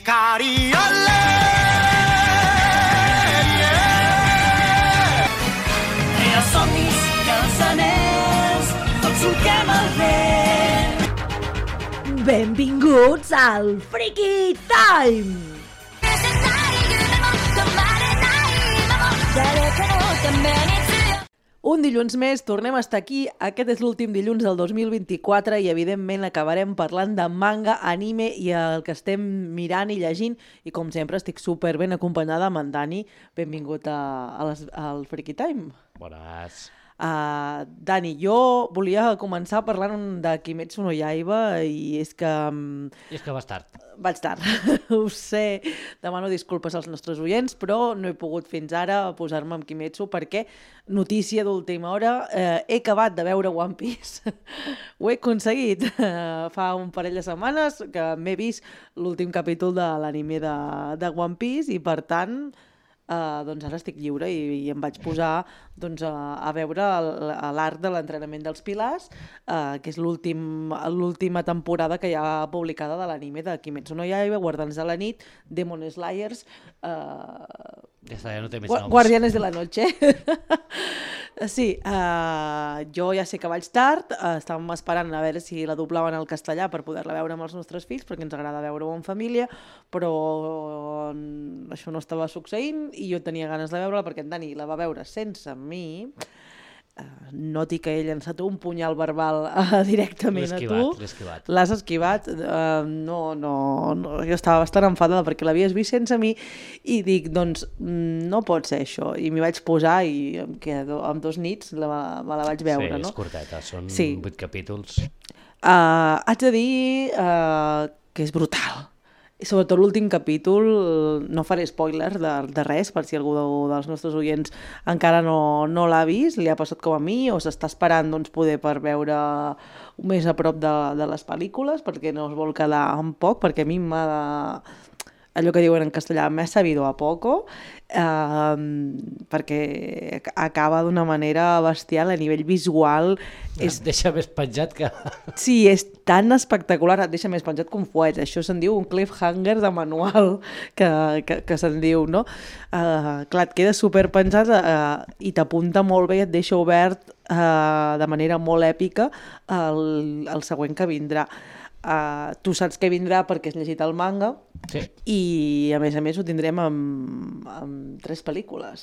Cariole, I els somnis i els anells, tots solquem el vent. Benvinguts al Freaky Time! Un dilluns més, tornem a estar aquí. Aquest és l'últim dilluns del 2024 i, evidentment, acabarem parlant de manga, anime i el que estem mirant i llegint. I, com sempre, estic super ben acompanyada amb en Dani. Benvingut al Freaky Time. Bones. Dani, jo volia començar parlant de Kimetsu no Yaiba i és que... I és que vas tard. Vaig tard, ho sé, demano disculpes als nostres oients, però no he pogut fins ara posar-me amb Kimetsu perquè, notícia d'última hora, he acabat de veure One Piece. Ho he aconseguit. Fa un parell de setmanes que m'he vist l'últim capítol de l'anime de One Piece i, per tant, doncs ara estic lliure i em vaig posar a veure l'arc de l'entrenament dels Pilars, que és l'última temporada que hi ha publicada de l'anime de Kimetsu no Yaiba, Guardians de la nit, Demon Slayers, Ja està, ja no té més noms. Guardianes de la noche. Sí, jo ja sé que vaig tard, estàvem esperant a veure si la doblaven al castellà per poder-la veure amb els nostres fills, perquè ens agrada veure-ho en família, però això no estava succeint i jo tenia ganes de veure-la perquè en Dani la va veure sense mi. Noti que he llançat un punyal verbal directament a tu. L'he esquivat. L'has esquivat. No, jo estava bastant enfadada perquè l'havies vist sense mi i dic, doncs, no pot ser això. I m'hi vaig posar i en 2 nits me la vaig veure. Sí, no? És curteta, són Sí. 8 capítols. Haig de dir que és brutal. I sobretot l'últim capítol, no faré spoiler de res, per si algú dels nostres oients encara no l'ha vist, li ha passat com a mi, o s'està esperant poder per veure més a prop de les pel·lícules, perquè no es vol quedar en poc, perquè a mi m'ha de... allò que diuen en castellà, m'ha sabido a poco, perquè acaba d'una manera bestial a nivell visual. Et deixa més penjat que... Sí, és tan espectacular, et deixa més penjat que un fuet. Això se'n diu un cliffhanger de manual, que se'n diu, no? Clar, et queda superpenjat i t'apunta molt bé i et deixa obert de manera molt èpica el següent que vindrà. Tu saps que vindrà perquè has llegit el manga, Sí. i a més ho tindrem amb 3 pel·lícules.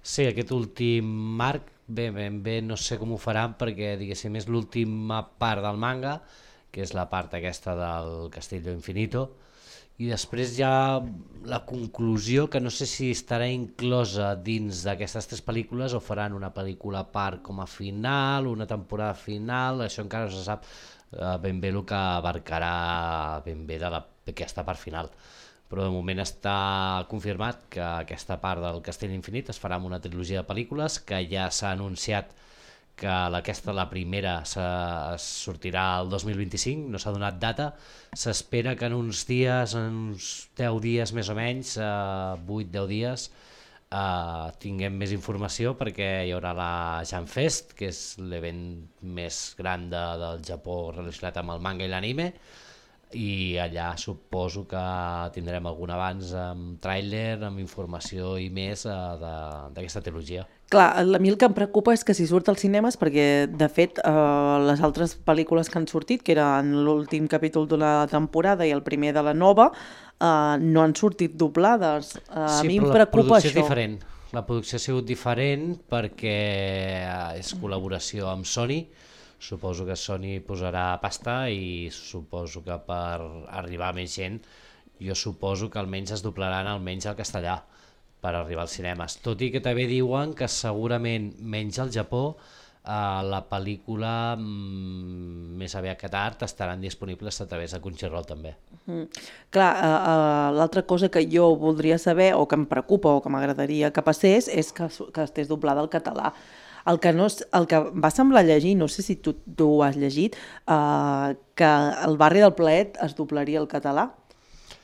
Sí, aquest últim arc, ben bé no sé com ho faran perquè, diguéssim, és l'última part del manga, que és la part aquesta del Castillo Infinito, i després hi ha la conclusió, que no sé si estarà inclosa dins d'aquestes 3 pel·lícules o faran una pel·lícula a part com a final, una temporada final, això encara no se sap ben bé el que abarcarà ben bé d'aquesta part final. Però de moment està confirmat que aquesta part del Castell Infinit es farà amb una trilogia de pel·lícules, que ja s'ha anunciat que la primera sortirà el 2025, no s'ha donat data, s'espera que en uns dies, en uns 10 dies més o menys, 8-10 dies, tinguem més informació, perquè hi haurà la Janfest, que és l'event més gran del Japó relacionat amb el manga i l'anime, i allà suposo que tindrem algun avanç amb tràiler, amb informació i més d'aquesta trilogia. Clar, a mi el que em preocupa és que si surt als cinemes, perquè de fet les altres pel·lícules que han sortit, que eren l'últim capítol d'una temporada i el primer de la nova, no han sortit doblades. A mi em preocupa això. Diferent. La producció ha sigut diferent perquè és col·laboració amb Sony. Suposo que Sony posarà pasta i suposo que per arribar a més gent, jo suposo que almenys es doblaran almenys al castellà per arribar als cinemes. Tot i que també diuen que segurament menys al Japó la pel·lícula més aviat que tard estaran disponibles a través de Crunchyroll també. Clar, l'altra cosa que jo voldria saber, o que em preocupa o que m'agradaria que passés, és que estés doblada al català. El que va semblar llegir, no sé si tu ho has llegit, que el Barri del Plaet es doblaria al català.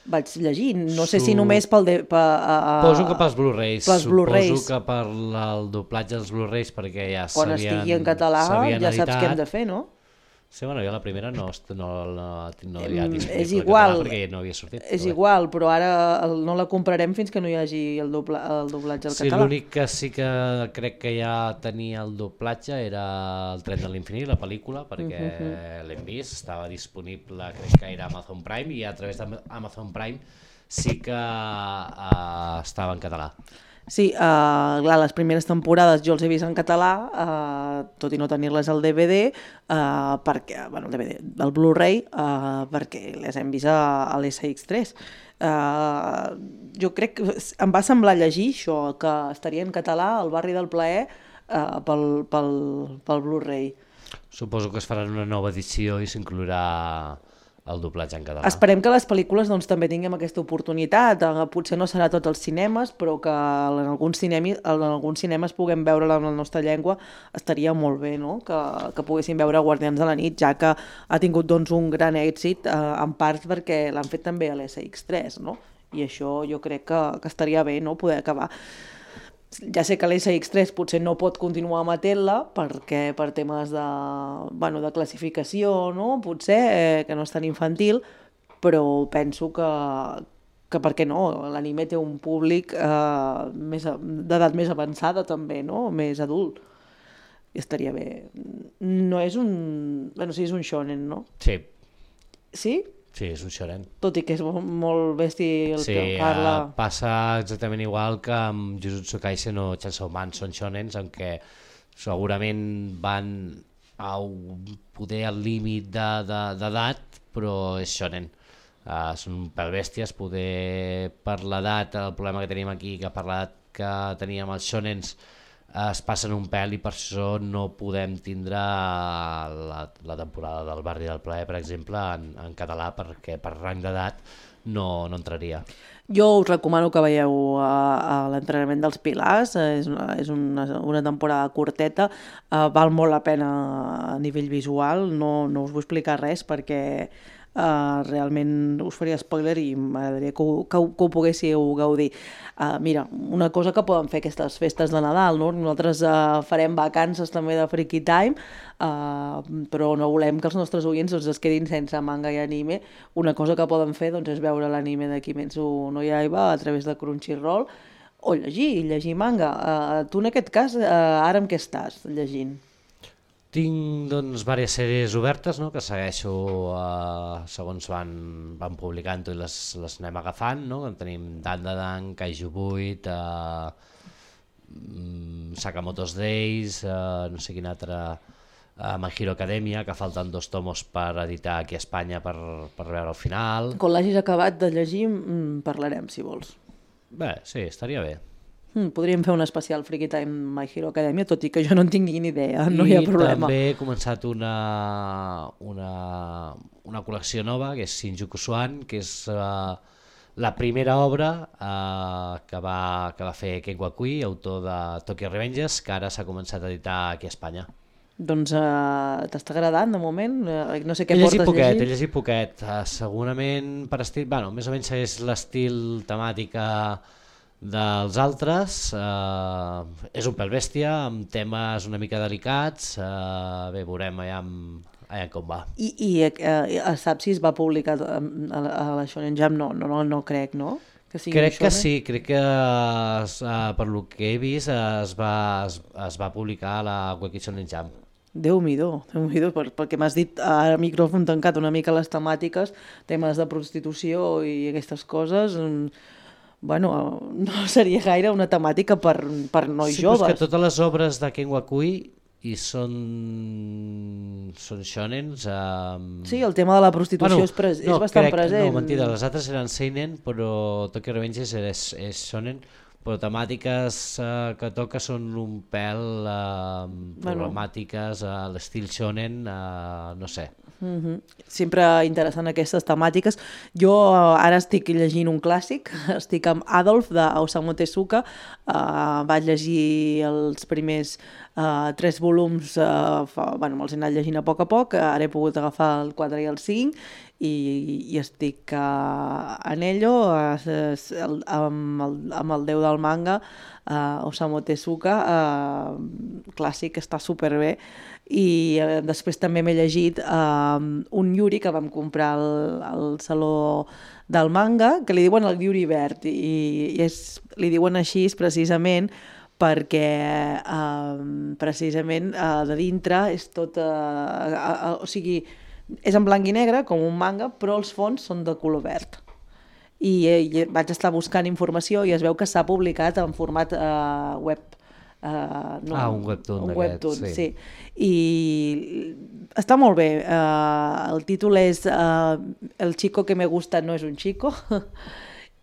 Vaig llegir, no sé si només Suposo que pels Blu-rays. Suposo que per el doblatge dels Blu-rays, perquè ja quan estigui en català ja saps què hem de fer, no? Sí, bueno, jo la primera no havia disponible És en igual, català perquè no havia sortit. és però bé. igual, però ara no la comprarem fins que no hi hagi el doblatge al Sí, català. l'únic que sí que crec que ja tenia el doblatge era el Tren de l'infinit, la pel·lícula, perquè l'hem vist, estava disponible, crec que era Amazon Prime, i a través d'Amazon Prime sí que estava en català. Sí, clar, les primeres temporades jo els he vist en català, tot i no tenir-les al DVD, perquè, bueno, el DVD, el Blu-ray, perquè les hem vist a l'SX3. Jo crec que em va semblar llegir això, que estaria en català El barri del plaer pel Blu-ray. Suposo que es farà una nova edició i s'inclourà el doblatge en català. Esperem que les pel·lícules doncs, també tinguem aquesta oportunitat. Potser no serà tots els cinemes, però que en alguns cinemes puguem veure-la en la nostra llengua estaria molt bé, no? Que poguéssim veure Guardians de la nit, ja que ha tingut doncs, un gran èxit, en part perquè l'han fet també a l'SX3, no? I això jo crec que estaria bé, no? Poder acabar. Ja sé que l'SX3 potser no pot continuar emetent-la perquè per temes de classificació, no? Potser que no és tan infantil, però penso que per què no? L'anime té un públic d'edat més avançada també, no? Més adult. I estaria bé. No és un... Bueno, sí, és un shonen, no? Sí. Sí? Sí, és un shonen. Tot i que és molt bèstia el que parla. Sí, passa exactament igual que amb Jujutsu Kaisen o Chainsaw Man, són shonens en què segurament van a poder al límit d'edat, però és shonen. Són un pèl bèsties, poder per l'edat, el problema que tenim aquí, que per l'edat que teníem els shonens, es passen un pèl i per això no podem tindre la temporada del Barri del Plaer, per exemple, en català, perquè per rang d'edat no entraria. Jo us recomano que veieu l'entrenament dels Pilars, és una temporada curteta, val molt la pena a nivell visual, no us vull explicar res perquè realment us faria spoiler i m'agradaria que ho poguéssiu gaudir. Mira, una cosa que poden fer aquestes festes de Nadal, no? Nosaltres farem vacances també de Freaky Time, però no volem que els nostres oients es quedin sense manga i anime. Una cosa que poden fer doncs, és veure l'anime de Kimetsu no Yaiba a través de Crunchyroll o llegir manga. Tu en aquest cas, ara amb què estàs llegint? Tinc doncs diverses sèries obertes, no? Que segueixo segons van publicant i les anem agafant, no? Tenim Dandadan, Kaiju 8, Sakamoto's Days, no sé quin altre, My Hero Academia, que falten 2 tomos per editar aquí a Espanya per veure el final. Quan l'hagis acabat de llegir parlarem, si vols. Bé, sí, estaria bé. Podríem fer un especial Freaky Time My Hero Academia, tot i que jo no en tinc ni idea, no hi ha problema. I també he començat una col·lecció nova, que és Shinjuku Swan, que és la primera obra que va fer Ken Wakui, autor de Tokyo Revengers, que ara s'ha començat a editar aquí a Espanya. Doncs t'està agradant de moment? No sé què portes llegint. He llegit poquet, segurament per estil, bueno, més o menys és l'estil temàtica dels altres, és un pèl bèstia, amb temes una mica delicats, bé, veurem allà com va. I saps si es va publicar a la Shonen Jump? No crec, no? Crec que sí, crec que per lo que he vist es va publicar a la Wiki Shonen Jump. Déu-m'hi-do, perquè m'has dit a micròfon tancat una mica les temàtiques, temes de prostitució i aquestes coses. Bueno, no seria gaire una temàtica per nois joves. Sí, però és que totes les obres de Ken Wakui i són shonens. Sí, el tema de la prostitució és bastant present. No, mentida, les altres eren seinen, però Tokyo Revengers és shonen, però temàtiques que toca són un pèl problemàtiques a l'estil shonen, no sé. Sempre interessant aquestes temàtiques. Jo ara estic llegint un clàssic, estic amb Adolf d'Osamu Tezuka, vaig llegir els primers 3 volums, me'ls he anat llegint a poc, ara he pogut agafar el 4 i el 5, i estic en ello, amb el déu del manga, Osamu Tezuka, clàssic, està superbé. I després també m'he llegit un Yuri que vam comprar al Saló del Manga, que li diuen el Yuri verd, i li diuen així precisament perquè precisament de dintre és tot, o sigui, és en blanc i negre com un manga, però els fons són de color verd. I vaig estar buscant informació i es veu que s'ha publicat en format web. Un webtoon d'aquests, sí. I està molt bé. El títol és El chico que me gusta no es un chico,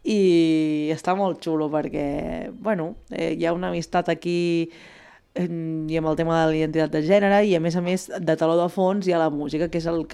i està molt xulo perquè, bueno, hi ha una amistat aquí i amb el tema de la identitat de gènere, i a més de teló de fons hi ha la música, que és el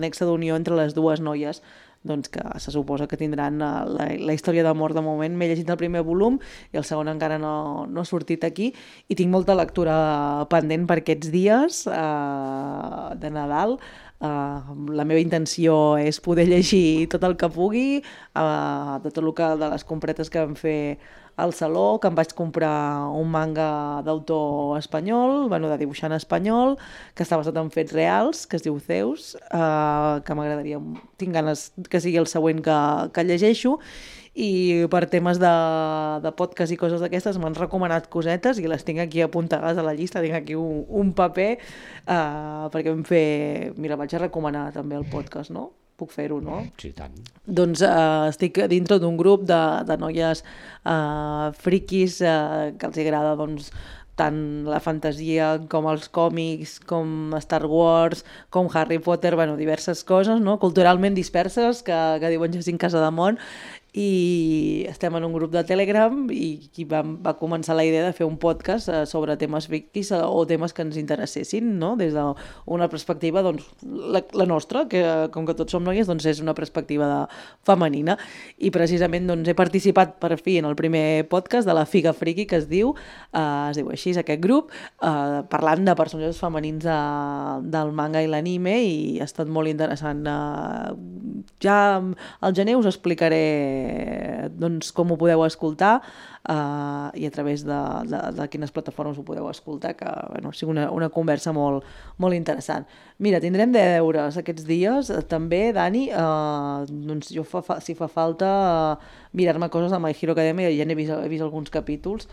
nexe d'unió entre les dues noies, doncs que se suposa que tindran la història d'amor de moment. M'he llegit el primer volum i el segon encara no ha sortit aquí, i tinc molta lectura pendent per aquests dies de Nadal. La meva intenció és poder llegir tot el que pugui, de tot el que, de les compretes que vam fer al Saló, que em vaig comprar un manga d'autor espanyol, de dibuixant espanyol, que està basat en fets reals, que es diu Zeus, que m'agradaria, tinc ganes que sigui el següent que llegeixo, i per temes de podcast i coses d'aquestes m'han recomanat cosetes i les tinc aquí apuntades a la llista, tinc aquí un paper, perquè vam fer... Mira, vaig a recomanar també el podcast, no? Puc fer-ho, no? Sí, tant. Doncs estic dintre d'un grup de noies friquis que els agrada, doncs, tant la fantasia com els còmics, com Star Wars, com Harry Potter, diverses coses, no? Culturalment disperses, que diuen Jacint Casademont, i estem en un grup de Telegram i va començar la idea de fer un podcast sobre temes frikis o temes que ens interessessin, no? Des d'una perspectiva, doncs, la nostra, que com que tots som noies, doncs és una perspectiva femenina, i precisament doncs, he participat per fi en el primer podcast de la Figa Friki, que es diu així, aquest grup, parlant de personatges femenins del manga i l'anime, i ha estat molt interessant. Ja al gener us explicaré doncs, com ho podeu escoltar i a través de quines plataformes ho podeu escoltar, que sigui una conversa molt, molt interessant. Mira, tindrem deures aquests dies, també, Dani, doncs jo si fa falta mirar-me coses de My Hero Academia, ja n'he vist alguns capítols,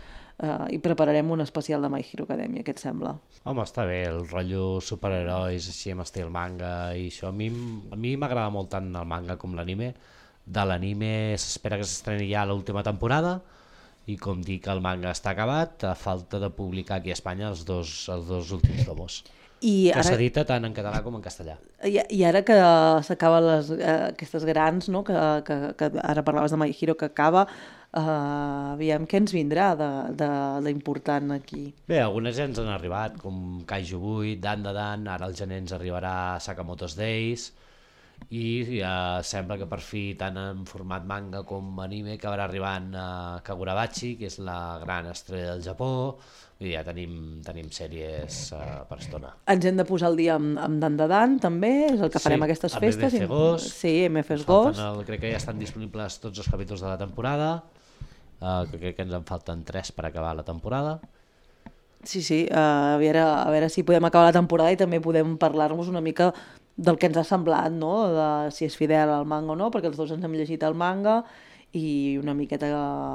i prepararem un especial de My Hero Academia, què et sembla? Home, està bé, el rotllo superherois, així amb estil manga i això. A mi m'agrada molt tant el manga com l'anime. De l'anime s'espera que s'estreni ja l'última temporada, i com dic, el manga està acabat, a falta de publicar aquí a Espanya els dos últims tomos, que s'edita tant en català com en castellà. I ara que s'acaben aquestes grans, no? que ara parlaves de My Hero, que acaba, aviam què ens vindrà d'important aquí. Bé, algunes ja ens han arribat, com Kaiju 8, Dan, ara al gener ens arribarà Sakamoto's Days, i sembla que per fi, tant en format manga com anime, acabarà arribant Kagurabachi, que és la gran estrella del Japó, i ja tenim sèries per estona. Ens hem de posar al dia amb Dan, també, és el que farem aquestes festes. Sí, amb MF Ghost. Sí, MF Ghost. Crec que ja estan disponibles tots els capítols de la temporada, que crec que ens en falten 3 per acabar la temporada. Sí, a veure si podem acabar la temporada i també podem parlar-nos una mica del que ens ha semblat, no? De si és fidel al manga o no, perquè els dos ens hem llegit el manga, i una miqueta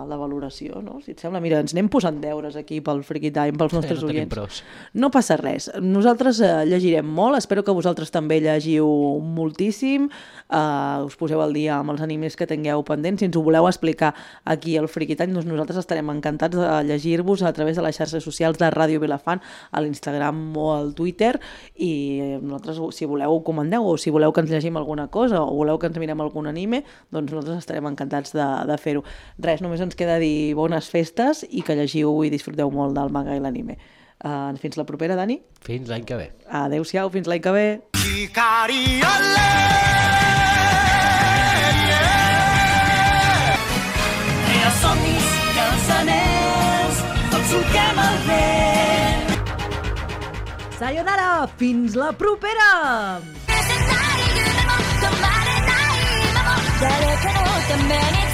la valoració, no? Si et sembla, mira, ens anem posant deures aquí pel Freaky Time, pels nostres oients. No passa res, nosaltres llegirem molt, espero que vosaltres també llegiu moltíssim, us poseu al dia amb els animes que tingueu pendents. Si ens ho voleu explicar aquí al Freaky Time, doncs nosaltres estarem encantats de llegir-vos a través de les xarxes socials de Ràdio Vilafant, a l'Instagram o al Twitter, i nosaltres, si voleu, ho comandeu, o si voleu que ens llegim alguna cosa, o voleu que ens mirem algun anime, doncs nosaltres estarem encantats de fer-ho. Res, només ens queda dir bones festes i que llegiu i disfruteu molt del manga i l'anime. Fins la propera, Dani. Fins l'any que ve. Adéu-siau, fins l'any que ve. Somnis i els anells, tots solquem el vent. Sayonara, fins la propera! 誰かのために